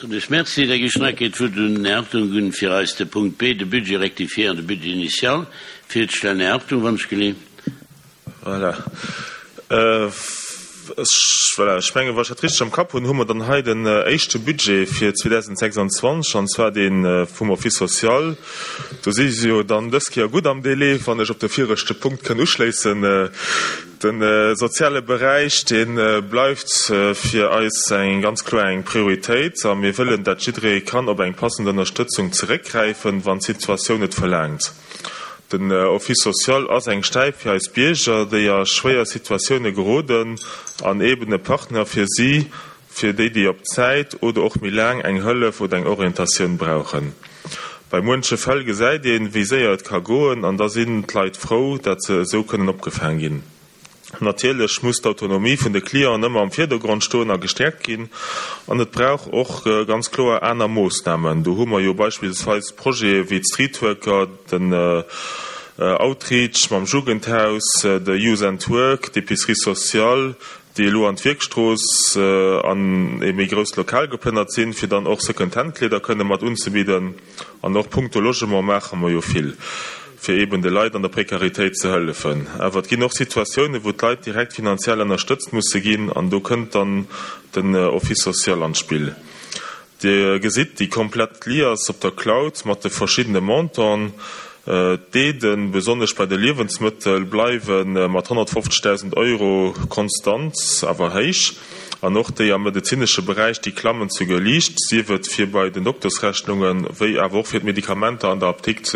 Soen ech Merci. Da gi ech nach eng Kéier d'Wuert un den Här Hartung un, fir eis de Punkt B, de Budget rectifié an de Budget initial virzestellen. Här Hartung, wann ech gelift. Voilà. Ech, voilà, ech mengen, wa ech dat richteg am Kapp hunn, hu mer dann hei den éischte Budget fir 2026, an zwar dee vum Office social. Do si se jo dann dës Kéier gutt am Délai, wann ech op de viregte Punkt kënn uschléissen. De soziale Beräich, dee bleift fir eis eng ganz kloer eng Prioritéit a mir wëllen, dat jidderee kann op eng passend Ënnerstëtzung zeréckgräifen, wann d'Situatioun et verlaangt. Den Office social ass eng Stäip fir eis Bierger, déi a schwéier Situatioune geroden an eben e Partner fir si, fir déi, déi op Zäit oder och méi laang eng Hëllef oder eng Orientatioun brauchen. Bei muenche Fäll gesäit een, wéi séier et ka goen an da sinn d'Leit frou, dat se esou kënnen opgefaang ginn. Natierlech muss d'Autonomie vun de Clienten ëmmer am Virdergrond stoen a gestäerkt ginn an et brauch och ganz kloer aner Moossnamen. Do hu mer jo beispillsweis Projete wéi d'Streetworker, den Outreach mam Jugendhaus, de Youth and Work, d'Épicerie sociale, déi elo an d'Wierkstrooss an ee méi grousst Lokal geplënnert sinn, fir dann och Second-Hand-Kleeder kënne mat unzebidden. An och punkto Logement maache mer jo vill, fir eeben de Leit an der Prekaritéit ze hëllefen. Awer et ginn och Situatiounen, wou d'Leit direkt finanziell ënnerstëtzt musse ginn, an do kënnt dann den Office social an d'Spill. Dir gesitt déi komplett Liasse op der Cloud mat de verschiddene Montanten. D'Aiden, besonnesch bei de Liewensmëttel, bleiwe mat 150.000 Euro konstant, awer héich. An och déi am medezinesche Beräich, déi klammen souguer liicht, sief et fir bei den Doktersrechnungen, wéi awer och fir d'Medikamenter an der Apdikt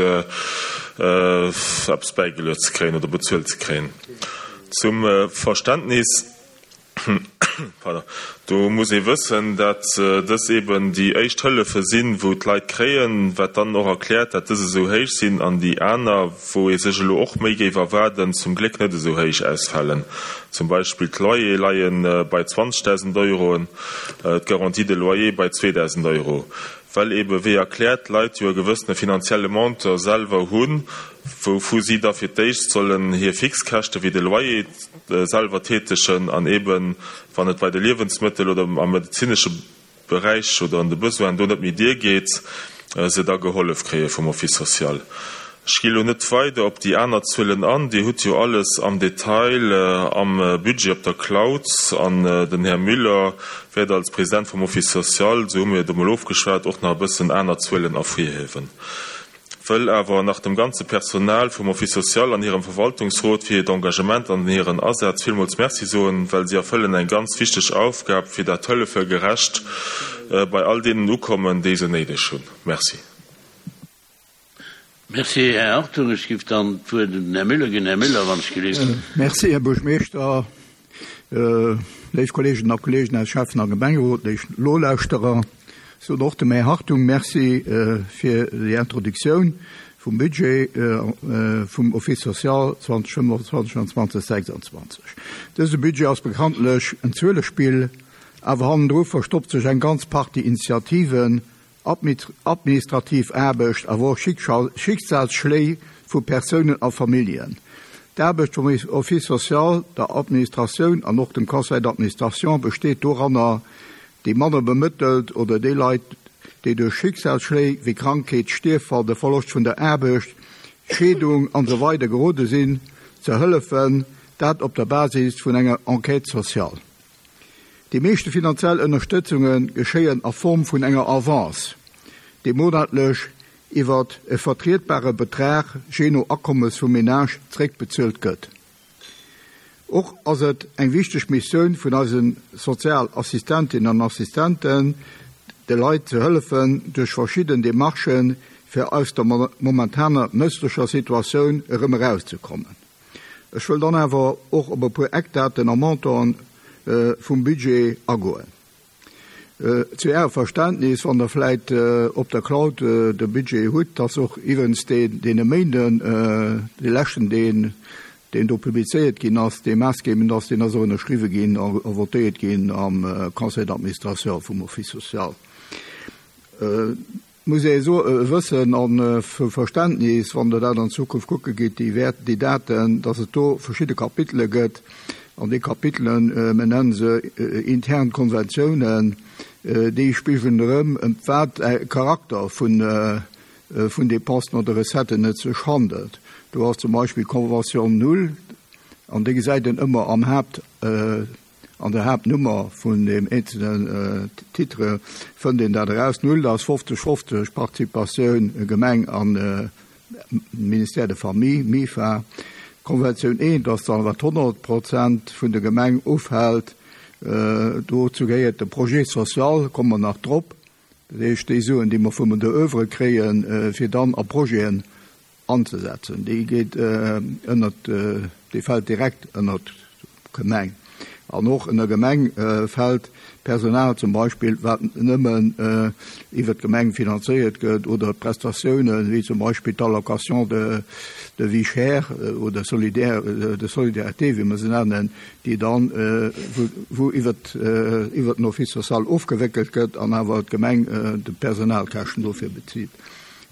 eppes bäigeluet ze kréien oder bezuelt ze kréien. Zum Verständnis. Do muss ee wëssen, dat dës eben déi éischt Hëllefe sinn, wou d'Leit kréien, wat dann och erkläert, dat dës esou héich sinn an déi aner, wou ee sech elo och méi géif erwaarden, zum Gléck net esou héich ausfalen. Zum Beispill d'Loyere leie bei 20.000 Euroen, d'Garantie de loyer bei 2.000 Euro. Well ebe wéi erkläert, d'Leit jo e gewëssene finanzielle Montant selwer hunn, wouvu si da fir d'éischt sollen hir Fixkäschte wéi de Loyer selwer tätegen an eben, wann et bei de Liewensmëttel oder am medezinesche Beräich oder an de Besoinen do net méi diergeet, se da gehollef kréie vum Office social. Ech gi elo net weider op déi aner Zuelen an. Dir hutt jo alles am Detail am Budget op der Cloud. An den Här Müller wäert als President vum Office social, esou hu mir et emol ofgeschwat, och nach e bëssen aner Zuelen ervirhiewen. Wëll awer nach dem ganze Personal vum Office social an hirem Verwaltungsrot fir hiert Engagement an hiren Asaz villmools Merci soen, well si erfëllen eng ganz wichteg Aufgab, fir dat d'Hëllefe gerecht bei all deenen ukommen, déi se néideg hunn. Merci. Merci, Här Hartung. Ech giff dann d'Wuert un den Här Müller ginn. Här Müller, wann ech gelift. Merci, Här Buergmeeschter, léif Kolleeginnen a Kolleegen aus Schäffen a Gemengerot, léif Nolauschterer. Ech soen och dem Här Hartung Merci fir déi Introduktioun vum Budget vum Office social 2025 an 2026. Dëse Budget ass bekanntlech en Zuelespill, awer hannendru verstoppt sech eng ganz Partie Initiativen, administrativ Aarbecht, awer och Schicksalsschléi vu Persounen a Familljen. D'Aarbecht vum Office social, der Administratioun an och dem Conseil d'administration besteet doranner, déi manner bemëttelt oder déi Leit, déi duerch Schicksalsschléi wéi Krankheet, Stierffall, de Verloscht vun der Aarbecht, Scheedung an esou weider gerode sinn, ze hëllefen, dat op der Basis vun enger Enquête sociale. Déi meeschte finanziell Ënnerstëtzunge geschéien a Form vun enger Avance, déi monatlech iwwert e vertrietbare Betrag, jee no Akommes vum Menage, zeréckbezuelt gëtt. Och ass et eng wichteg Missioun vun eise Sozialassistentinnen an Assistenten, de Leit ze hëllefen, duerch verschidden Demarchen, fir aus der momentaner mësslecher Situatioun erëm erauszekommen. Ech wëll dann awer och op e puer Eckdaten a Montanten vum Budget agoen. Zu Ärem Verständnis, wann Der vläit op der Cloud de Budget hutt, ass och iwwregens deen, deen e Méinden, dee leschten, deen, deen do publizéiert ginn ass, dee maassgebend ass, deen ass och ënnerschriwwe ginn a votéiert ginn am Conseil d'administration vum Office social. Muss ee wëssen a vu Verständnis, wann Der dat an Zukunft kucke gitt, déi Wäert, déi Daten, dass et do verschidde Kapitele gëtt. An déi Kapitelen, mir nennen se intern Konventiounen. Déi spigelen erëm, ëm wat e Charakter vun vun Dépensen oder Recetten et sech handelt. Do ass zum Beispill d'Convention null, an déi gesäit een ëmmer am Haapt, an der Haaptnummer vun deem eenzelnen Titre fënnt een dat eraus. Null ass 50, 50 Participatioun Gemeng an Ministère de Famille, MIFA. D'Konventioun eent ass dann, wat 100 Prozent vun der Gemeng ufält. Dozou gehéiert de Projet social, komme mer nach drop. Dat heescht, déi Suen, déi mer vum der Oeuvre kréien, fir dann a Projeten anzesetzen, déi geet ënnert, déi fält direkt ënnert d'Gemeng. An och ënner Gemeng fält Personal zum Beispill, wat nëmmen iwwert d'Gemeng finanzéiert gëtt, oder d'Prestatiounen, wéi zum Beispill d'Allocation de de vie chère oder solidaire, de solidarité, wéi mer se nennen, déi dann, wou iwwert iwwert den Office social ofgewéckelt gëtt an awer d'Gemeng de Personalkäschten dofir bezilt.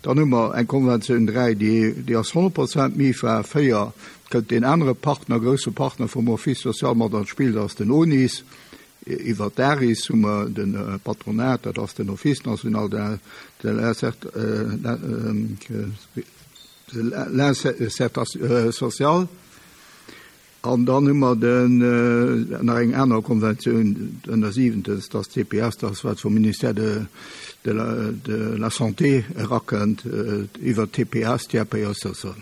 Dann hu mer eng Konventioun 3, déi déi ass 100 Prozent MIFA. 4 kënnt deen anere Partner, grousse Partner vum Office social mat an d'Spill, dat ass den ONIS. Iwwer d'ARIS hu mer de Patronat, dat ass den Office national de l'insertion sociale. An dann hu mer den, nach eng aner Konventioun, ënner siwentens, dat ass d'CPS, dat ass wat vum Ministère de, de la, de la Santé erakënnt, iwwert d'TPS, Tiers payeur social.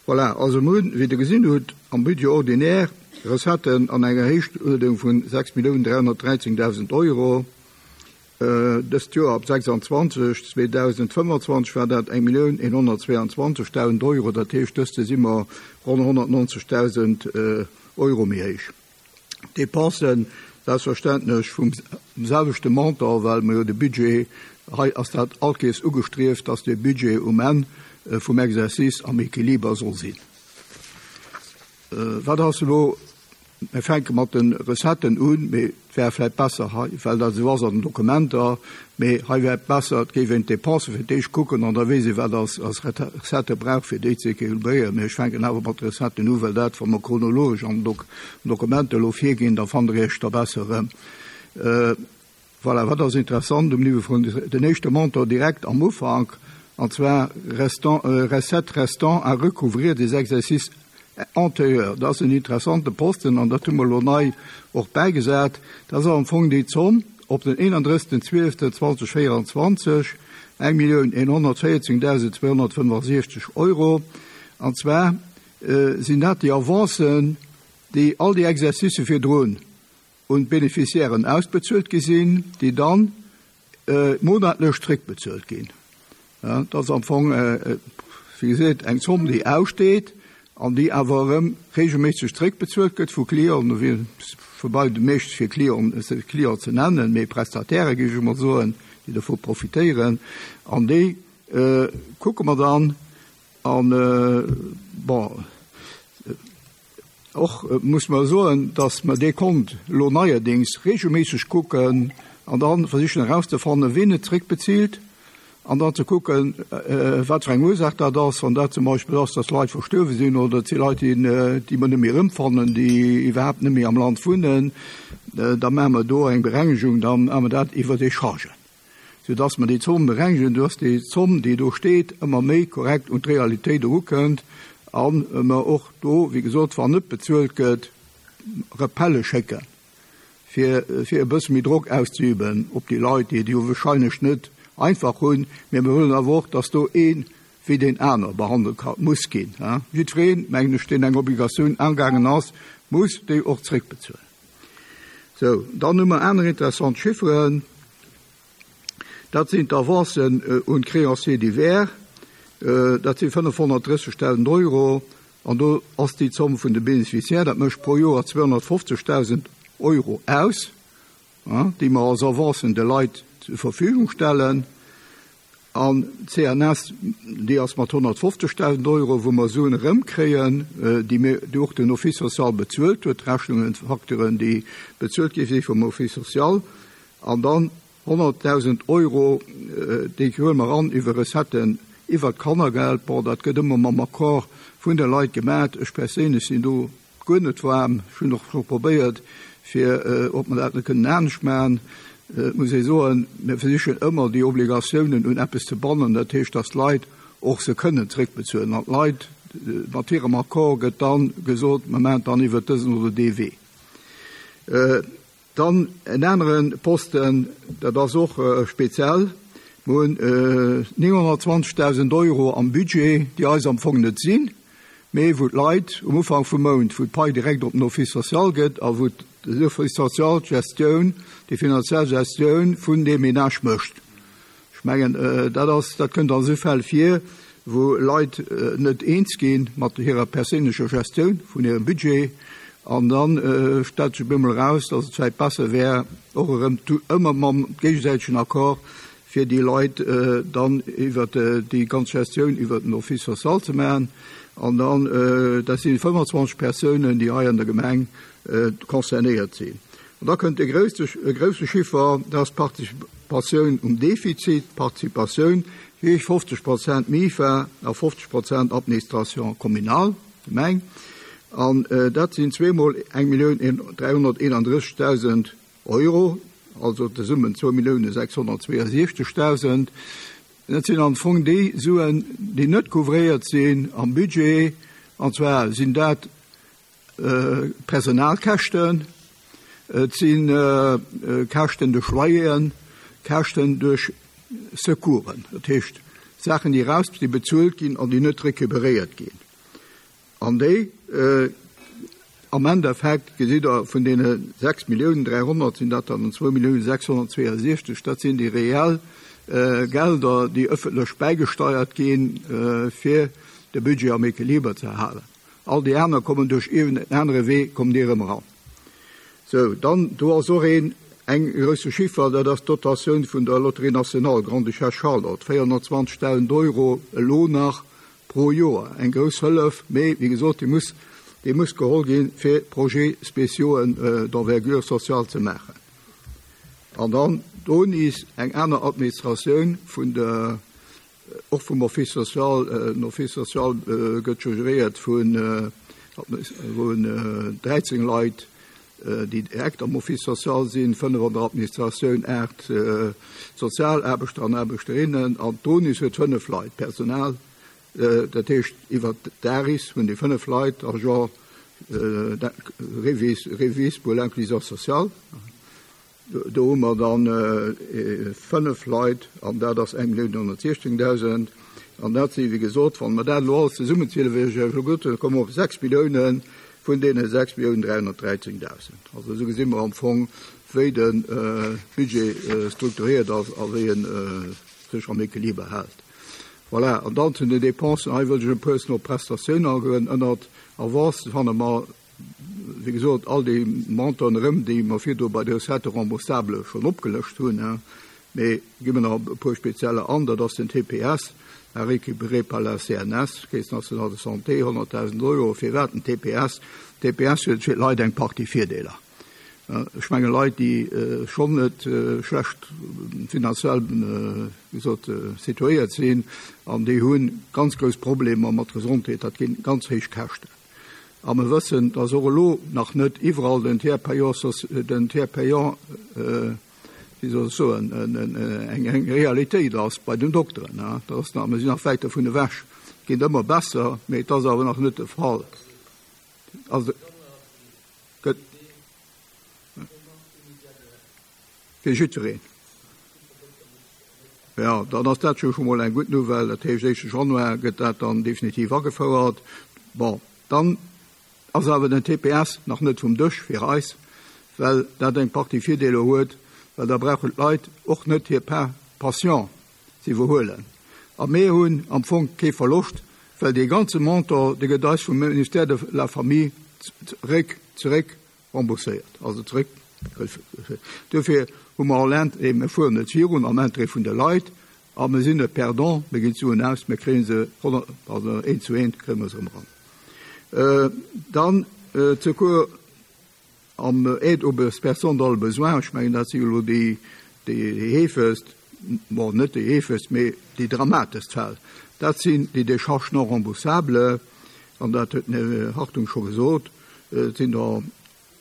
Voilà, also mir hunn, wéi Der gesinn hutt, am Budget ordinaire Recetten an enger Héichtuerdung vu 6.313.000 Euro. Dëst Joer op 26, 2025 war dat 1.122.000 Euro, dat heescht, dëst Joer si mer ronn 190.000 Euro méi héich. D'Depensen selbstverständlech vum selwechte Montant, well mer jo de Budget, hei ass dat all Kees ugestrieft, dass dee Budget um Enn vum Exercice am Equiliber soll sinn. Wat ass elo Mir fänke mat de Recetten un, mee et wär vläicht besser hei, well dat esou ass an den Dokumenter, mee hei wär et besser, et géif een d'Dépensë fir d'éischt kucken an da weess ee wat als als Recettë brauch fir déi ze équilibréieren. Mee ech fänken awer mat de Recetten u, well dat, wa mer chronologesch an den Dokumenter elo virginn, da fannt Der Iech da besser erëm. Voilà, wat ass interessant um Niveau vun den éischte Montant direkt am Ufank, an zwar restant, recettes restant à recouvrir des exercices antérieurs. Dat ass en interessante Posten an dat hu mer elo nei och bäigesat. Dat ass am Fong déi Zomm op den 31.12.2024, 1.114.265 Euro. An zwar sinn dat déi Avancen, déi all déi Exercicë virdrun un d'Beneficiairen ausbezuelt gi sinn, déi dann monatlech zréckbezuelt ginn. Dat ass am Fong, wéi gesot, eng Zomm, déi aussteet an déi awer erëm regelméisseg zréckbezuelt gëtt vu Clienten, woubäi de meescht fir Clienten, Client ze nennen, mee Prestataire géif ech emol soen, déi dovu profitéieren. An déi kucke mer dann an, bon, Och muss mer soen, dass mer dee Kont elo neierdéngs regelméisseg kucken an da versichen erauszefannen, wien et zréckbezilt, an dann ze kucken, wat fir eng Ursaach dat ass, wann dat zum Beispill ass, dass Leit verstuerwe sinn oder et si Leit, déi mer net méi erëmfannen, déi iwwerhaapt net méi am Land wunnen, da maache mer do eng Berengegung, da maache mer dat iwwer déi Chargen. sou dass mer déi Zomm berengegen, dass déi Zomm, déi do steet, ëmmer méi korrekt un d'Realitéit erukënnt a mer och do, wéi gesot, wann net bezuelt gëtt, Rappelle schécken, fir fir e bësse méi Drock auszeüben op déi Leit, déi et jo wahrscheinlech net einfach hunn. Mä mir wëllen awer och, dass do ee wéi deen aner behandelt ka muss ginn. Jiddwereen, mengen ech, deen eng Obligatioun angaangen ass, muss déi och zréckbezuelen. Sou, dann hu mer aner interessant Chifferen. Dat sinn d'Avancen un d'Créanciers divers. Dat si 530.000 Euro. An do ass déi Zomm vun de Bénéficiaires, dat mécht pro Joer 250.000 Euro aus, déi mer als Avancen de Leit zur Verfügung stellen. An d'CNS, déi ass mat 150.000 Euro, wou mer Suen erëmkréien, déi mir, déi och den Office social bezuelt huet, Rechnungen, Facturen, déi bezuelt gi si vum Office social. An dann 100.000 Euro, déi huele mer an iwwer Recetten iwwert d'Kannergeld. Bon, dat gëtt ëmmer mam Accord vun de Leit gemat. Ech perséinlech sinn do guer net waarm. Ech hunn och scho probéiert, fir ob mer dat net kënnen anescht maachen. Et muss ee soen, mir versichen ëmmer déi Obligatiounen un eppes ze bannen, dat heescht, datt d'Leit och se kënnen zréckbezuelen. An d'Leit, mat hirem Accord gëtt da gesot, mer maachen et dann iwwert dësen oder dee Wee. Dann en anere Posten, dat ass och speziell, Mer hunn 920.000 Euro am Budget, déi eis am Fong net sinn, mee wou d'Leit um Ufank vum Mount, wou d'Pai direkt op den Office social gëtt a wou den Office social d'Gestioun, déi finanziell Gestioun vun deem Ménage mécht. Ech mengen, dat ass, dat kënnt an esou Fäll vir, wou Leit net eens gi mat hirer perséinlecher Gestioun vun hirem Budget, an da stellt sech op eemol eraus, datt et vläicht besser wär, och erëm ëmmer mam géigesäitegen Accord, fir déi Leit dann iwwert déi ganz Gestioun iwwert den Office social ze maachen. An dann, dat si 25 Persounen, déi hei an der Gemeng concernéiert sinn. An da kënnt e grousse, e grousse Chiffer, dat ass d'Participatioun um Defizit, d'Participatioun, wéi 50 Prozent MIFA a 50 Prozent Administration communale, Gemeng. An dat sinn zweemol 1.331.000 Euro, also zesummen 2.662.000. Dat sinn am Fong déi Suen, déi net couvréiert sinn am Budget, an zwar sinn dat Personalkäschten, et si Käschten duerch Loyeren, Käschten duerch Secoursen, dat heescht Saachen, déi eraus, déi bezuelt ginn an déi net recuperéiert ginn. An déi am Endeffekt, gesitt Der, vun deene 6 Milliounen 300 sinn dat dann 2 Milliounen 662, dat sinn déi reell Gelder, déi ëffentlech bäigesteiert ginn, fir de Budget am Equiliber ze halen. All déi aner kommen duerch iergend en anere Wee, kommen déi erëm eran. Sou, dann, do ass och een, eng grousse Chiffer, dat ass d'Dotatioun vun der Loterie nationale Grande-Duchesse Charlotte, 420.000 Euro elo nach pro Joer. Eng grouss Hëllef, mee wéi gesot, déi muss, déi muss geholl ginn, fir Projets spéciaux d'envergure sociale ze maachen. An dann do nees eng aner Administratioun vun der, Och vum Office social. Den Office social gëtt jo geréiert vun 13 Leit, déi direkt am Office social sinn, 5 an der Administratioun, 8 Sozialaarbechter an Aarbechterinnen an d'ONIS huet 5 Leit Personal. Dat heescht, iwwert d'ARIS hunn déi 5 Leit, Agent REVIS pour l'inclusion sociale. Do hu mer dann 5 Leit an dat ass 1.116.000. An dat si wéi gesot, wann mer dat elo alles zesummenzielen, wéi ech Iech elo gesot hunn, da komme mer op 6 Milliounen vun deene 6.313.000. Also esou gesi mer am Fong, wéi de Budget strukturiert ass a wéi e sech am Equiliber hält. Voilà, an dann zu den Dépensen. Hei wëllt ech e puer op d'Prestatiounen agoen. Ënnert Avancen fanne mer wéi gesot, all déi Montanten erëm, déi mer virdru bei de Recettes remboursables schonn opgelëscht hunn. Mee gi mer nach e puer spezieller an, dat ass den TPS, à récupérer par la CNS, Caisse nationale de santé, 100.000 Euro. Firwat den TPS? TPS huet fir d'Leit eng Partie Virdeeler. Ech menge Leit, déi schonn net schlecht finanziell, wéi gesot, situéiert sinn an déi hu ganz grouss Problemer mat Gesondheet, dat gi ganz héich Käschten. A mer wëssen, dass och elo nach net iwwerall den Tiers payant, den Tiers payant, wéi soll ech soen, eng Realitéit ass bei den Dokteren. Dat ass nach, mer sinn nach wäit dovun ewech. Et geet ëmmer besser, mee et ass awer nach net de Fall. Also gëtt. Fir jiddwereen. Jo, dann ass dat jo scho mol eng gutt Nouvelle. Dat heescht, éischte Januar gëtt dat dann definitiv agefouert. Bon, dann ass awer den TPS nach net vum Dësch fir eis, well dat eng Partie Virdeeler huet, well da brauchen d'Leit och net hir Part patient ze iwwerhuelen. A mir hunn am Fong kee Verloscht, well dee ganze Montant, dee gëtt eis vum Ministère de la Famille zeréck, zeréck Rembourséiert, also zréck. Duerfir hu mer all Interêt, mir fueren net virun am Interêt vun de Leit a mir sinn net perdant, mir ginn d'Suen aus, mir kréie se also eent zu eent kréie mer se erëm eran. Dann d'Secours am Aide aux personnes dans le besoin, ech mengen dat si jo elo déi heefegst, bon net déi heefegst, mee déi dramatescht Fäll, dat sinn déi Décharges non remboursables an dat huet den Här Hartung scho gesot. Et sinn der.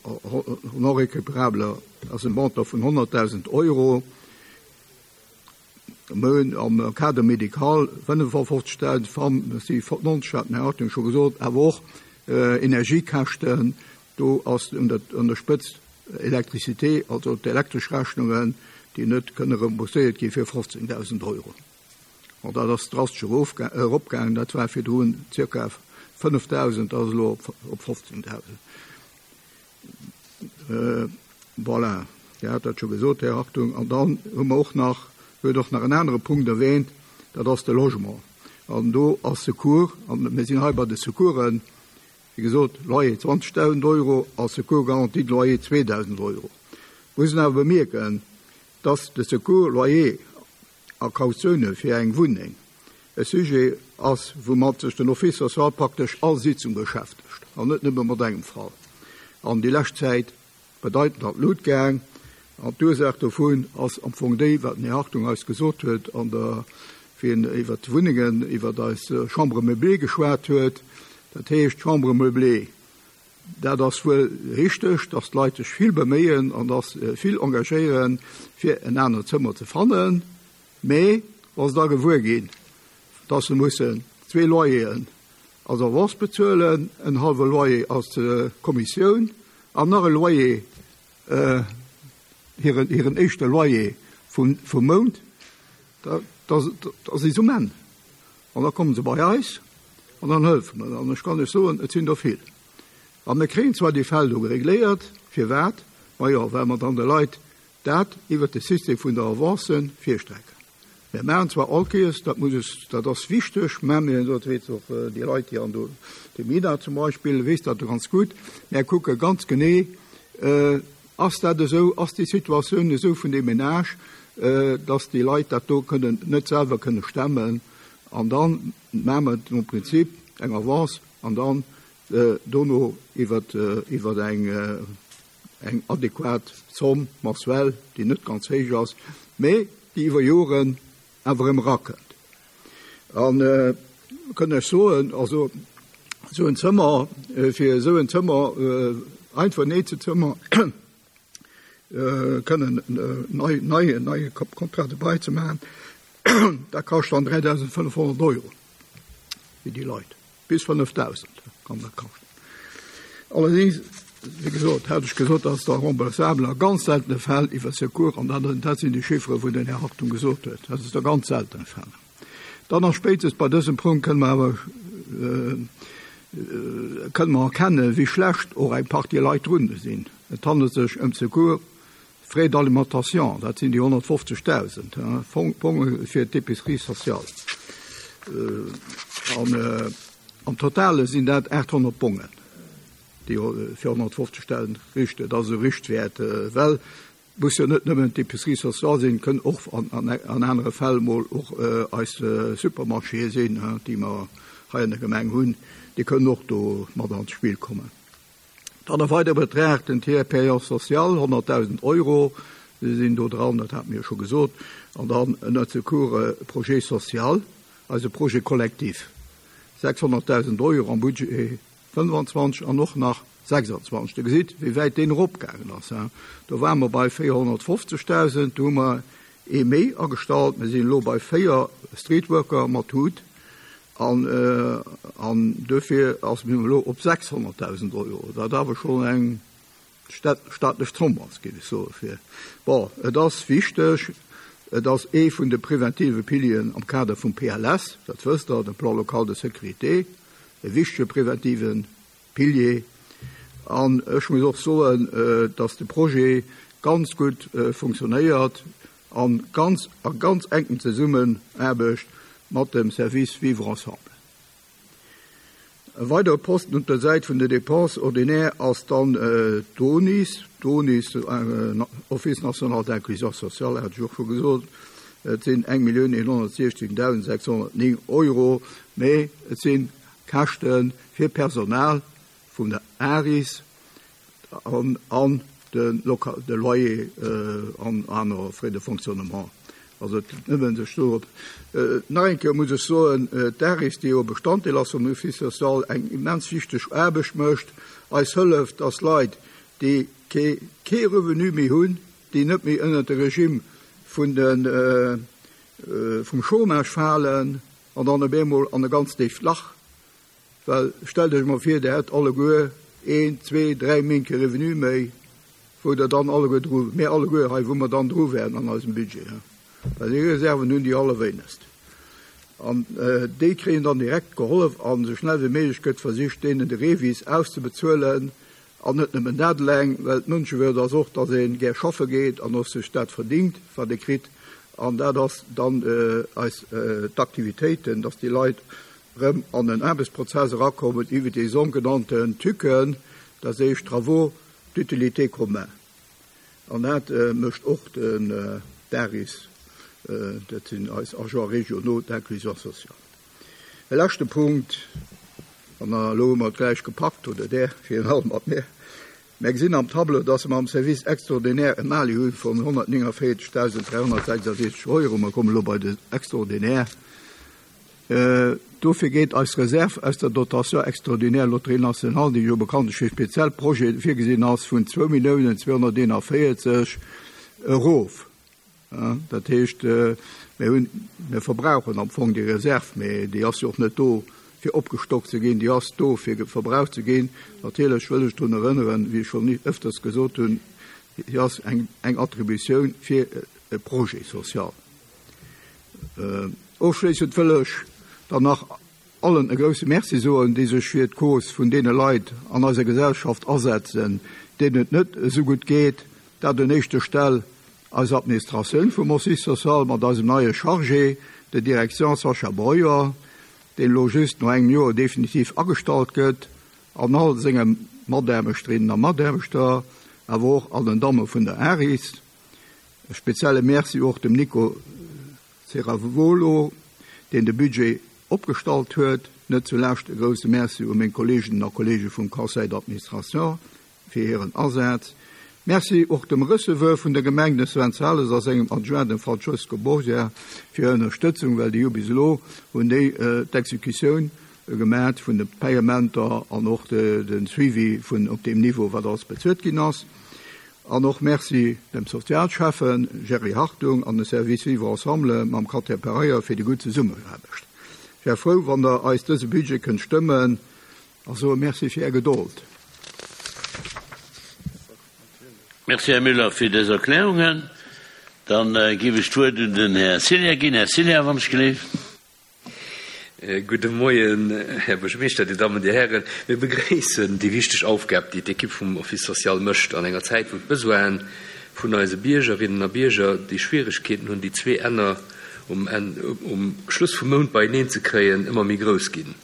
non récupérable ass e Montant vun 100.000 Euro. Mir hunn am Cadre médical 55.000, Femmes, si 90, hat den Här Hartung scho gesot, awer och Energiekäschten, do ass un der Spëtzt Electricité, also d'elektresch Rechnungen, déi net kënne rembourséiert gi fir 15.000 Euro. An dat ass drastesch eropgaangen, dat war virdrun zirka 5.000, dat ass elo op 15.000. Voilà, Dir hat dat scho gesot, Här Hartung. An dann hu mer och nach, huet och nach en anere Punkt erwähnt, dat ass de Logement. An do ass Secours, an mir sinn hei bei de Secoursen, wéi gesot, Loyer 20.000 Euro a Secours garanti de loyer 2.000 Euro. Muss een awer bemierken, dass de Secours loyer a Kautioune fir eng Wunneng e Sujet ass, woumat sech den Office social praktesch all Sitzung beschäftegt, an net nëmme mat engem Fall an déi lescht Zäit bedeitend an d'Lut gaang. An d'Ursaach dovun ass am Fong déi, wat den Här Hartung eis gesot huet an der, wéi en iwwert d'Wunnengen, iwwert eis Chambres meublées geschwat huet. Dat heescht, d'Chambres meublées, Dat ass wuel richteg, dass d'Leit sech vill beméien an dass vill engagéieren, fir en anert Zëmmer ze fannen, mee wa se da gewuer ginn, dass se mussen zwee Loyeren als Avance bezuelen, en hallwe Loyer als Kommissioun an nach e Loyer, hiren, hiren éischte Loyer vum, vum Mount, da, da, da si se um Enn. An da komme se bei eis an dann hëllefe mer. An ech kann lech soen, et sinn der vill. A mir kréien zwar déi Fäll do regléiert. Firwat? Majo, well mer dann de Leit dat iwwert de System vun der Avance virstrecken. Mir maachen zwar all Kéiers, dat muss ech, dat ass wichteg, mä mir, dat weess och déi Leit, déi an do, de Mina zum Beispill weess dat ganz gutt, mir kucke ganz genee, Ass dat esou, ass déi Situatioun esou vun deem Ménage, dass déi Leit dat do kënnen net selwer kënne stemmen? An da maache mer nom Prinzip eng Avance an dann dono iwwer iwwer eng eng adequat Zomm mensuelle, déi net ganz héich ass, mä déi iwwer Joren awer erëm erakënnt. An kënn ech soen, also esou en Zëmmer, fir esou en Zëmmer, einfach en Eezelzëmmer kënnen nei, nei, en neie Contrat de bail ze maachen, dat kascht dann 3.500 Euro fir déi Leit. Bis 5.000 kann dat kaschten. Allerdéngs, wéi gesot, hat ech gesot, dass da remboursabel a ganz seltene Fäll iwwer Secours, an dat, dat sinn déi Chiffere wou den Här Hartung gesot huet, dat ass a ganz seltene Fäll. Dann a spéitstens bei dësem Punkt kënne mer awer kënne mer erkennen, wéi schlecht och eng Partie Leit drun sinn. Et handelt sech ëm Secours Frais d'alimentation, dat sinn déi 150.000 Fonge fir d'Épicerie sociale. An am Totale sinn dat 800 Bongen, déi fir 150.000 richten. Dat ass e Richtwäert, well et muss jo net nëmmen d'Épicerie sociale sinn, et kënnen och an anere Fäll mol och eis Supermarchéë sinn, déi mer hei an der Gemeng hunn, déi kënnen och do mat an d'Spill kommen. Dann e weidere Betrag, den Tiers payant social, 100.000 Euro sinn do dran, dat hate mir jo scho gesot. An dann ënnert Secours Projet social, eise Projet collectif, 600.000 Euro am Budget 25 an och nach 26. Dir gesitt, wéi wäit deen eropgaangen ass. Do ware mer bei 450.000, do hu mer ee méi agestallt. Mir sinn elo bei véier Streetworker mat Hut. An, an duerfir ass mir elo op 600.000 Euro, wat awer schonn eng staatlech Zomm ass, géif ech soen, fir. Bon, et ass wichteg, et ass ee vun de preventive Pilieren am Kader vum PLS, dat wësst Der, dem Plan local de sécurité, e wichtege preventive Pilier. An ech muss och soen, dass de Projet ganz gutt funktionéiert a ganz a ganz enken Zesummenaarbecht mat dem Service Vivre ensemble. E weidere Posten op der Säit vun de Dépenses ordinaires ass dann d'ONIS, d'ONIS, Office national d'inclusion sociale, hat ech och scho gesot. Et sinn 1.116.609 Euro, mee et si Käschte fir Personal vun der ARIS an de Loyer an aner Frais de fonctionnement. Also et gëtt nëmmen sech do op. Nach eng Kéier muss ech soen, d'ARIS, déi jo e Bestanddeel ass vum Office social, eng immens wichteg Aarbecht mécht, eis hëlleft, dass Leit, déi kee kee Revenu méi hunn, déi net méi ënnert de Regime vun de vum Chômage falen an dann op eemol an e ganz déift Lach. Well stellt Iech emol vir, Der hätt alleguer een, zwee, dräi Méint kee Revenu méi, wou Der dann alleguer dru, mir alleguer hei, wou mer dann dru wären an eisem Budget. Well déi Reserven hunn déi allerwéinegst. An déi kréien dann direkt gehollef an esou schnell wéi méiglech gëtt versicht, deenen de REVIS auszebezuelen. An net nëmmen dat eleng, well d'Mënschewürd ass och, datt ee gär schaffe geet an och sech dat verdingt, wat ee kritt. An dat ass dann eis d'Aktivitéiten, datt déi Leit erëm an en Aarbechtsprozess erakommen iwwer déi sougenannten TÜCen, dat heescht Travaux d'utilité commun. An dat mécht och den DARIS, dat sinn eis Agents régionaux d'inclusion sociale. E leschte Punkt, an elo hu mer et gläich gepackt, oder Der virun allem mat mir, Mir gesinn am Tableau, dass mer am Service extraordinaire e Mali hu vun 149.366 Euro. Mer kommen elo bei den Extraordinaire. Dofir geet eis Reserv aus der Dotation extraordinaire Loterie nationale, déi jo bekanntlech fir speziell Projete virgesinn ass, vun 2.241 erof. Dat heescht, mir hunn, mir verbrauchen am Fong déi Reserv, mee déi ass jo och net do, fir opgestockt ze ginn, déi ass do, fir verbraucht ze ginn. Natierlech wëll ech drun erënneren, wéi ech schonn ëfters gesot hunn, déi ass eng Attributioun fir e Projet social. Ofschléissend wëll ech dann nach allen e grousse Merci soen, déi sech fir d'Cause vun deene Leit an eiser Gesellschaft asetzen, deenen et net esou gutt geet. Dat un éischter Stell eis Administratioun vum Office social mat eisem neie Chargé de direction Sascha Breuer, deen elo just no engem Joer definitiv agestallt gëtt, an all senge Mataarbechterinnen a Mataarbechter, awer och all den Damme vun der ARIS. E spezielle Merci och dem Nico Ceravolo, deen de Budget opgestallt huet. Net zulescht e grousse Merci u meng Kolleeginnen a Kolleege vum Conseil d'administration fir hiren Asaz. Merci och dem Receveur vun der Gemeng, dem Sven Sales, a sengem Adjoint, dem Francesco Borgia, fir hir Ënnerstëtzung, well déi hu bis elo hunn déi d'Exekutioun gemat vun de Payementer an och de Suivi vun op deem Niveau, wat alles bezuelt ginn ass. An och Merci dem Sozialschäffen Jerry Hartung an dem Service Vivre Ensemble mam Katja Pereira fir déi gutt Zesummenaarbecht. Ech wär frou, wann Der eis dëse Budget kënnt stëmmen a soe Merci fir Är Gedold. Merci, Här Müller, fir dës Erklärungen. Da géif ech d'Wuert un den Här Cillien ginn. Här Cillien, wann ech gleef. Gudde Moien, Här Buergermeeschter, Dir Dammen, Dir Hären. Mir begréissen déi wichteg Aufgab, déi d'Ekipp vum Office social mécht an enger Zäit, wou d'Besoine vun eise Biergerinnen a Bierger, déi Schwieregkeeten hunn, déi zwee Enner um Enn, um Schluss vum Mount beieneen ze kréien, ëmmer méi grouss ginn.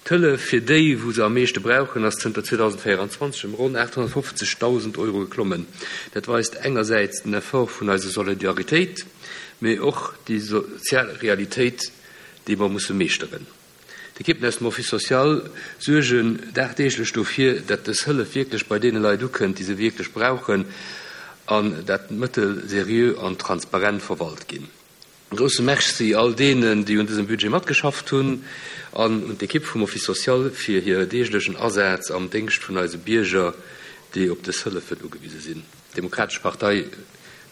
D'Hëllef fir déi, wou se am meeschte brauchen, ass zënter 2024 ëm ronn 850.000 Euro geklommen. Dat weist engersäits den Effort vun eiser Solidaritéit, mee och déi sozial Realitéit, déi mer musse meeschteren. D'Ekippen aus dem Office social suergen dagdeeglech dofir, dat dës Hëllef wierklech bei deene Leit ukënnt, déi se wierklech brauchen, an dat d'Mëttel seriö an transparent verwalt ginn. E grousse Merci all deenen, déi un dësem Budget matgeschafft hunn, an un d'Ekipp vum Office social fir hir deeglechen Asaz am Déngscht vun eise Bierger, déi op dës Hëllefen ugewise sinn. D'Demokratesch Partei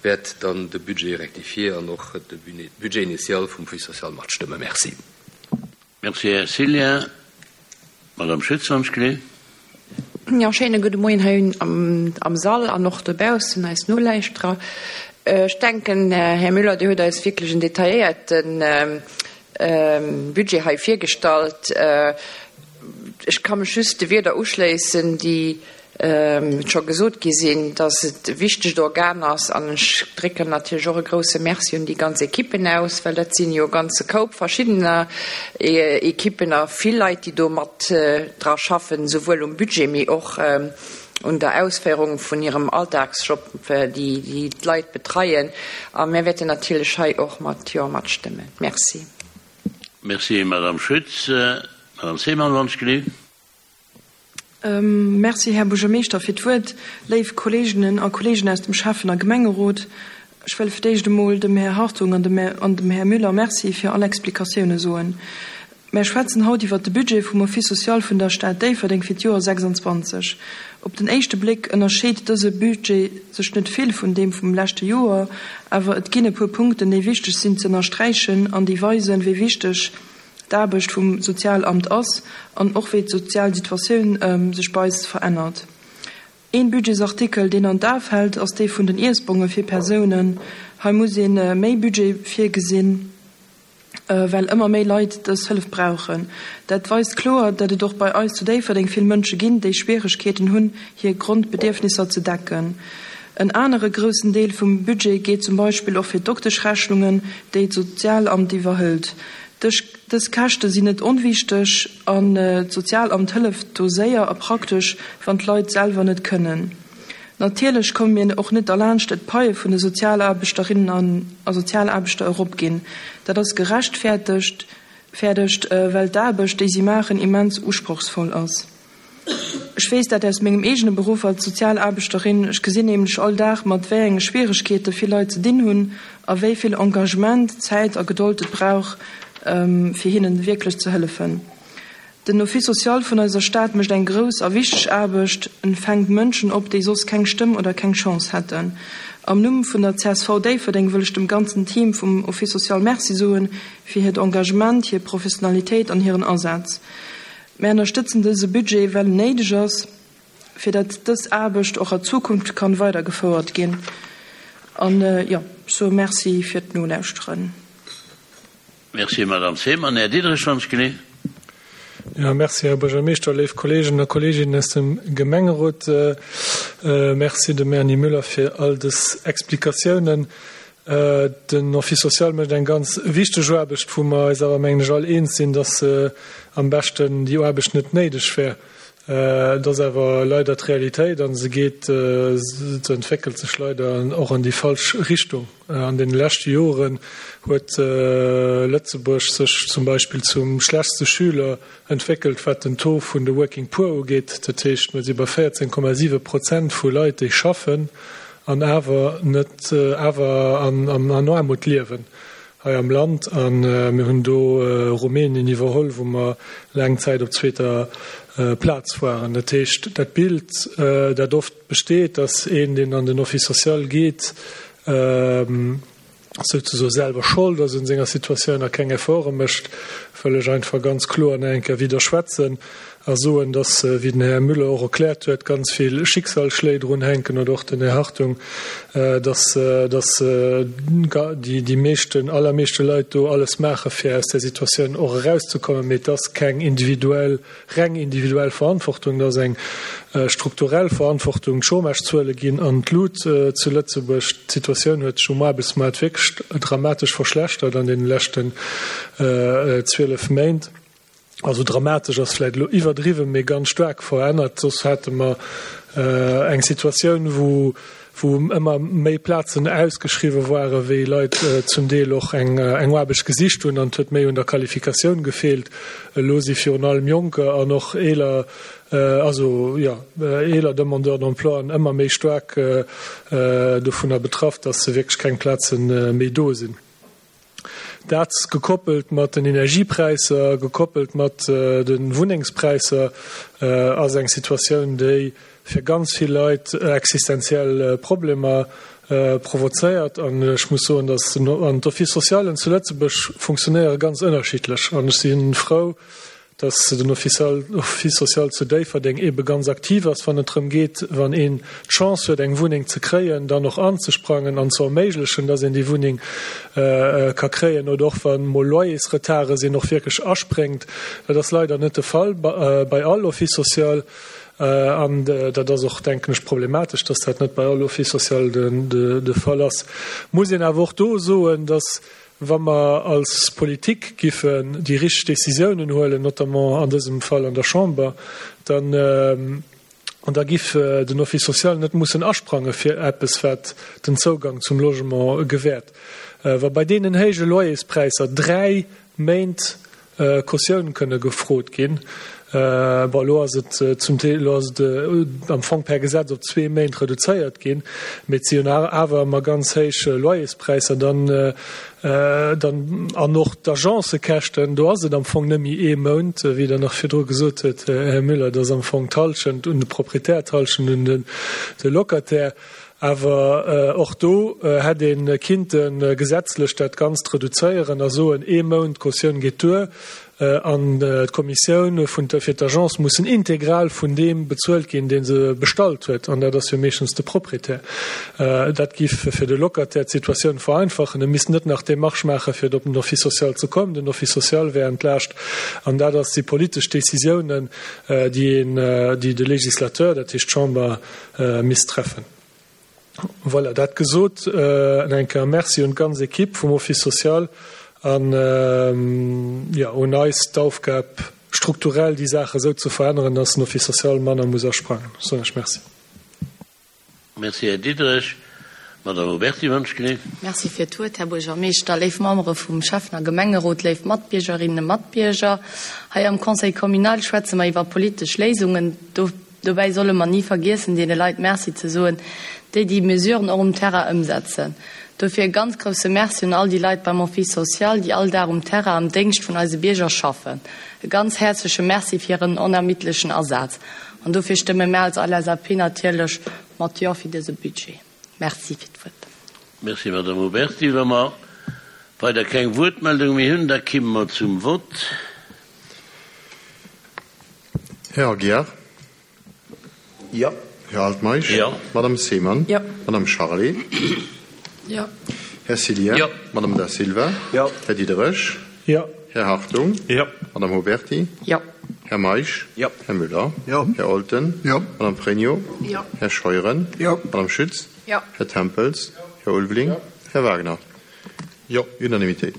wäert dann de Budget rectifié an och de Budget initial vum Office social matstëmmen. Merci. Merci, Här Cillien. Madame Schütz, wann ech gleef. Jo, schéine gudde Moien hei am Sall an och dobaussen eis Nolauschterer. Ech denken, Här Müller, Dir hutt eis wierklech en detailléierte Budget hei virgestallt. Ech ka mech just de Wierder uschléissen, déi scho gesot gi sinn, dass et e wichtegt Organ ass. An ech drécken natierlech och e grouse Merci un déi ganz Ekippen aus, well dat sinn jo e ganze Koup verschiddener Ekippen a vill Leit, déi do mat dra schaffen, souwuel um Budget, mee och un der Ausféierung vun hirem Alltagsjob, déi d'Leit betreien. A mir wäerten natierlech hei och mat Jo matstëmmen. Merci. Merci, Madame Schütz. Madame Seemann, wann ech gleef. Merci, Här Buergermeeschter, fir d'Wuert. Léif Kolleeginnen a Kolleegen aus dem Schäffen a Gemengerot, ech wëll fir d'éischt emol dem Här Hartung an dem Här Müller Merci fir all Explikatioune soen. Mär schwätzen haut iwwert de Budget vum Office social vun der Stad Déifferdeng fir d'Joer 26. Op den éischte Bléck ënnerscheet dëse Budget sech net vill vun deem vum leschte Joer, awer et ginn e puer Punkten, déi wichteg sinn ze ënnersträichen an déi weisen, wéi wichteg d'Aarbecht vum Sozialamt ass an och wéi d'sozial Situatioun sech bei eis verännert. Een Budgetsartikel, deen an d'A fält, ass dee vun den Iessbonge fir Persounen. Hei muss ee méi Budget virgesinn, well ëmmer méi Leit dës Hëllef brauchen. Dat weist kloer, datt et och bei eis zu Déifferdeng vill Mënsche ginn, déi Schwieregkeeten hunn, hir Grondbedierfnisser ze decken. En anere groussen Deel vum Budget geet zum Beispill och fir d'Dokteschrechnungen, déi d'Sozialamt iwwerhëlt. Dës Käschte sinn net onwichteg an d'Sozialamt hëlleft do séier a praktesch, wann d'Leit selwer net kënnen. Natierlech komme mir och net derlaanscht, datt d'Paie vun de Sozialaarbechterinnen a Sozialaarbechter eropginn. Dat ass gerechtfäertegt, well d'Aarbecht, déi si maachen, immens usprochsvoll ass. Ech weess dat aus mengem eegene Beruff als Sozialaarbechterin. Ech gesinn nämlech all Dag, mat wéi enge Schwieregkeete vill Leit ze dinn hunn a wéi vill Engagement, Zäit a Gedold et brauch, fir hinnen wierklech ze hëllefen. Den Office social vun eiser Stad mécht eng grouss a wichteg Aarbecht. En fänkt Mënschen op, déi soss keng Stëmm oder keng Chance hätten. Am Numm vun der csv Déifferdeng wëll ech dem ganzen Team vum Office social Merci soen fir hiert Engagement, hir Professionalitéit an hiren Asaz. Mär ënnerstëtzen dëse Budget, well en néideg ass, fir datt dës Aarbecht och a Zukunft kann weidergefouert ginn. An, jo, ech soe Merci fir d'Nolauschteren. Merci, Madame Fehmann. Här Diderich, wann ech genee. Jo, merci, Här Buergermeeschter, léif Kolleegen a Kolleeginnen aus dem Gemengerot. Merci dem Erny Müller fir all dës Explikatiounen. Den Office social mécht eng ganz wichteg Aarbecht, wou mer eis awer, mengen ech, all eens sinn, dass am beschten déi Aarbecht net néideg wär. Et ass awer leider d'Realitéit a se geet, se entwéckelt sech leider och an déi falsch Richtung. An deene leschte Joren huet Lëtzebuerg sech zum Beispill zum schlechtste Schüler entwéckelt, wat den Taux vun de Working Poor ugeet. Dat heescht, mir si bei 14,7 Prozent vu Leit, déi schaffen an awer net awer an Aarmut liewen hei am Land. A mir hunn do Rumänien iwwerholl, wou mer laang Zäit op zweeter Plaz waren. Dat heescht, dat Bild, dat oft besteet, dass een, deen an den Office social geet, souzesoe selwer Schold ass un senger Situatioun a keng Efforte mécht, wëll ech einfach ganz kloer nach eng Kéier widderschwätzen a soen, dass, wéi den Här Müller och erkläert huet, ganz vill Schicksalsschléi drun hänken oder och den Här Hartung, dass, dass déi meeschten, allermeeschte Leit do alles maache fir aus där Situatioun och erauszekommen, mee et ass keng individuell Reng individuell Verantwortung, dat ass eng strukturell Verantwortung. D'Chômagezuele ginn an d'Lut zu Lëtzebuerg. D'Situatioun huet sech um Aarbechtsmaart wierklech dramatesch verschlechtert an deene leschten 12 Méint. Also dramatesch ass vläicht elo iwwerdriwwen, mee ganz staark verännert. Soss hate mer eng Situatioun, wou wou ëmmer méi Plazen ausgeschriwwe waren, wéi Leit zum Deel och eng Aarbecht gesicht hunn, an et huet méi un der Qualifikatioun gefeelt. Elo si virun allem Jonker an och eeler, also jo, eeler Demandeurs d'emploien ëmmer méi staark dovunner betraff, dass wierklech keng Plaze méi do sinn. Dat gekoppelt mat den Energiepräisser, gekoppelt mat de Wunnengspräisser, ass eng Situatioun, déi fir ganz vill Leit existenziell Problemer provozéiert. An ech muss soen, datt an d'Office-socialen zu Lëtzebuerg funktionéiere ganz ënnerschiddlech. An ech si frou, dass den Office social zu Déifferdeng eebe ganz aktiv ass, wann et drëm geet, wann een d'Chance huet, eng Wunneng ze kréien, dann och anzesprangen an ze erméiglechen, dass een déi Wunneng ka kréien, oder och wa mol Loyersretarde sinn, och wierklech aspréngt. Dat ass leider net de Fall bei all Office social. An dat ass och, denken ech, problematesch, dass dat net bei all Office social de Fall ass. Muss een awer och do soen, dass Wa mer als Politik giffen déi richteg Décisiounen huelen, notamment an dësem Fall an der Chamber, dann, da giff den Office social net mussen asprange fir eppes, wat den Zougang zum Logement gewährt. Wa bei deenen héije Loyerspräisser 3 Méint. Cautioun kënne gefrot ginn. Bon, elo ass et zum Deel, elo ass et am Fong per Gesetz op zwee Méint reduzéiert ginn, mee et si jo nach awer ëmmer ganz héich Loyerspräisser dann, dann an och d'Agencëkäschten, do ass et am Fong net méi ee Mount, wéi Der nach virdru gesot huet, Här Müller, et ass am Fong d'Hallschent un de Proprietär, d'Hallschent un de Locataire. Awer och do hätt ee kinnte gesetzlech dat Ganzt reduzéieren a soen, ee Mount Cautioun geet duer an d'Kommissioun fir d'Agence mussen integral vun deem bezuelt ginn, dee se bestallt huet, an dat ass jo meeschtens de Proprietär. Dat giff fir de Locataire d'Situatioun vereinfachen. E misst net nach d'Demarche maachen, fir op den Office social ze kommen. Den Office social wär entlaascht. An dat ass déi politesch Décisiounen, déi een, déi de Législateur, dat heescht d'Chamber, misst treffen. Voilà, dat gesot, nach eng Kéier Merci un d'ganz Equipe vum Office social an, jo, un eis d'Aufgab, strukturell déi Saach esou ze veränneren, dass den Office social manner muss asprangen. Ech soen lech Merci. Merci, Här Diderich. Madame Oberti, wënschgelift. Merci fir d'Wuert, Här Buergermeeschter, léif Membere vum Schäffen a Gemengerot, léif Matbiergerinnen a Matbierger. Hei am Conseil communal schwätze mer iwwer politesch Léisungen. Dobäi solle mer ni vergiessen, deene Leit Merci ze soen, déi déi Mesuren och um Terrain ëmsetzen. Dofir e ganz grousse Merci un all déi Leit beim Office social, déi all Dag um Terrain am Déngscht vun eise Bierger schaffen. E ganz häerzleche Merci fir hiren onermiddlechen Asaz. An dofir stëmme mär als LSAP natierlech mat Jo fir dëse Budget. Merci fir d'Wuert. Merci, Madame Oberti. Wa mer weider keng Wuertmeldung méi hunn, da kimme mer zum Vott. Här Aguiar? Jo. Här Altmeisch? Jo. Madame Seemann? Jo. Madame Charlé? Jo. Här Cillien? Jo. Madame Da Silva? Jo. Här Diderich? Jo. Här Hartung? Jo. Madame Oberti? Jo. Här Meisch? Jo. Här Müller? Jo. Här Olten? Jo. Madame Pregno? Jo. Här Scheuren? Jo. Madame Schütz? Jo. Här Tempels? Här Ulveling? Jo. Här Wagner? Jo. Unanimitéit.